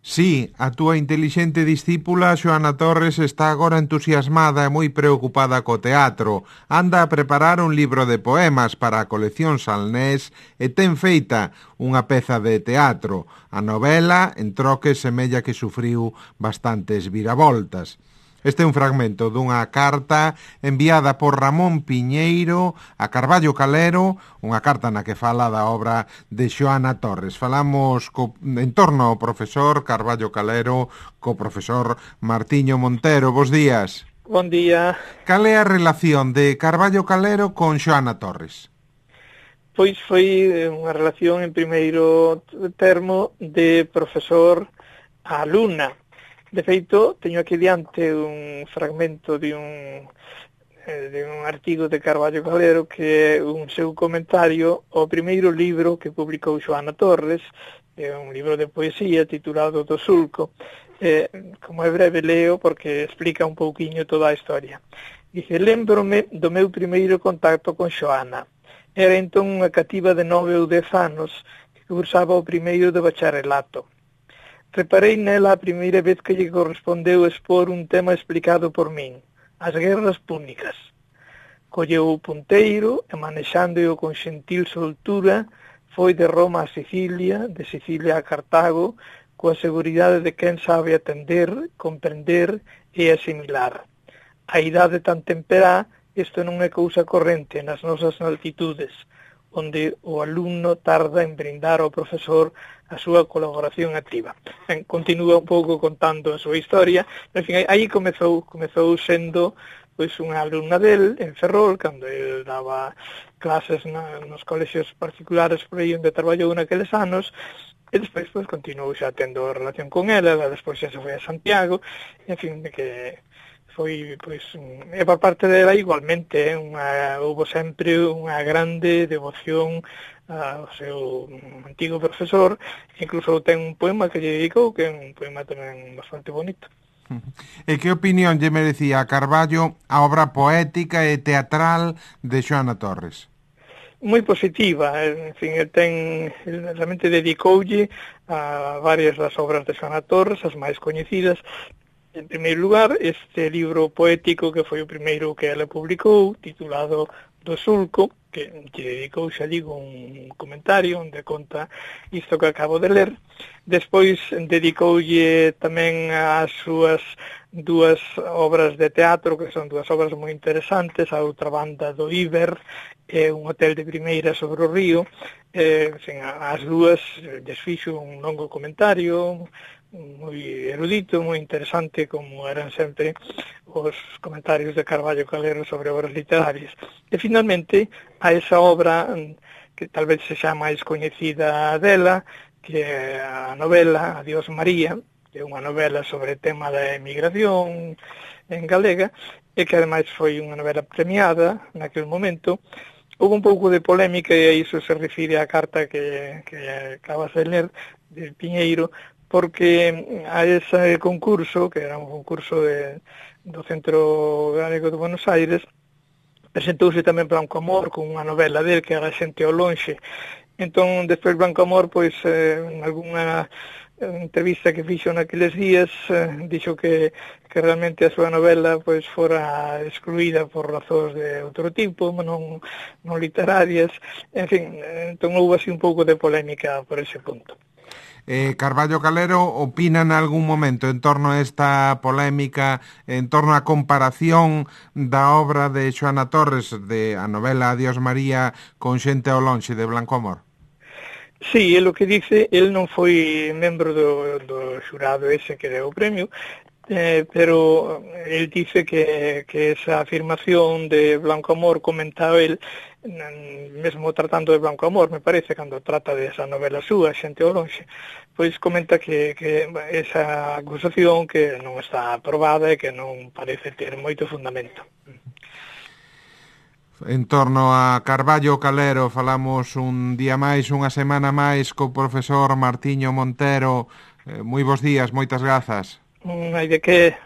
Sí, a túa intelixente discípula Xoana Torres está agora entusiasmada e moi preocupada co teatro. Anda a preparar un libro de poemas para a colección Salnés e ten feita unha peza de teatro. A novela, en troques, semella que sufriu bastantes viravoltas. Este é un fragmento dunha carta enviada por Ramón Piñeiro a Carballo Calero, unha carta na que fala da obra de Xoana Torres. Falamos en torno ao profesor Carballo Calero co profesor Martiño Montero. Bos días. Bon día. Cal é a relación de Carballo Calero con Xoana Torres? Pois foi unha relación en primeiro termo de profesor a alumna. De feito, teño aquí diante un fragmento de un artigo de Carballo Calero que é un seu comentario ao primeiro libro que publicou Xoana Torres, é un libro de poesía titulado Do Sulco. Como é breve leo porque explica un pouquiño toda a historia. Dice: lembrome do meu primeiro contacto con Xoana. Era entón unha cativa de 9 ou 10 anos que cursaba o primeiro de bacharelato. Reparei nela a primeira vez que lle correspondeu expor un tema explicado por min, as guerras púnicas. Colleu o punteiro e, manexándoo con xentil soltura, foi de Roma a Sicilia, de Sicilia a Cartago, coa seguridade de quen sabe atender, comprender e asimilar. A idade tan temperá, isto non é cousa corrente nas nosas altitudes, onde o alumno tarda en brindar ao profesor a súa colaboración activa. Continúa un pouco contando a súa historia, en fin, aí comezou sendo pois unha alumna del en Ferrol, cando ele daba clases nos colexios particulares por aí onde traballou naqueles anos, e despois pois continuou xa tendo relación con ela, despois xa se foi a Santiago, en fin, que foi, pois, e por parte dela igualmente, houve sempre unha grande devoción ao seu antigo profesor, incluso ten un poema que lle dedicou, que é un poema tamén bastante bonito. E que opinión lle merecía a Carballo a obra poética e teatral de Xoana Torres? Moi positiva, en fin, realmente dedicoulle a varias das obras de Xoana Torres, as máis coñecidas. En primeiro lugar, este libro poético que foi o primeiro que ela publicou, titulado Do Sulco, que lle dedicou, xa digo, un comentario onde conta isto que acabo de ler. Despois dedicoulle tamén as súas dúas obras de teatro, que son dúas obras moi interesantes, a outra banda do Iber e un hotel de primeira sobre o río. As dúas desfixo un longo comentario moi erudito, moi interesante, como eran sempre os comentarios de Carballo Calero sobre obras literarias. E finalmente, a esa obra que tal vez sexa máis coñecida dela, que é a novela Adiós María, que é unha novela sobre o tema da emigración en galega, e que ademais foi unha novela premiada naquele momento. Houve un pouco de polémica, e a iso se refire á carta que acabas de ler, de Piñeiro, porque a ese concurso, que era un concurso do Centro Galego de Buenos Aires, presentouse tamén Blanco Amor con unha novela del que era Xente ao lonxe. Entón, despois Blanco Amor, pois, en algunha entrevista que fixo naqueles días, dixo que realmente a súa novela pois fora excluída por razóns de outro tipo, non literarias. En fin, entón houve así un pouco de polémica por ese punto. Carballo Calero opina en algún momento en torno a esta polémica, en torno á comparación da obra de Xoana Torres, de a novela Adiós María, con Xente ao lonxe de Blanco Amor? Sí, é o que dice, el non foi membro do xurado ese que deu o premio, pero el dice que esa afirmación de Blanco Amor comentaba el, mesmo tratando de Blanco Amor, me parece, cando trata de esa novela súa, Xente ao lonxe, pois comenta que esa acusación que non está aprobada e que non parece ter moito fundamento. En torno a Carballo Calero falamos un día máis, unha semana máis co profesor Martiño Montero. Moi bons días, moitas grazas. Non hai de que.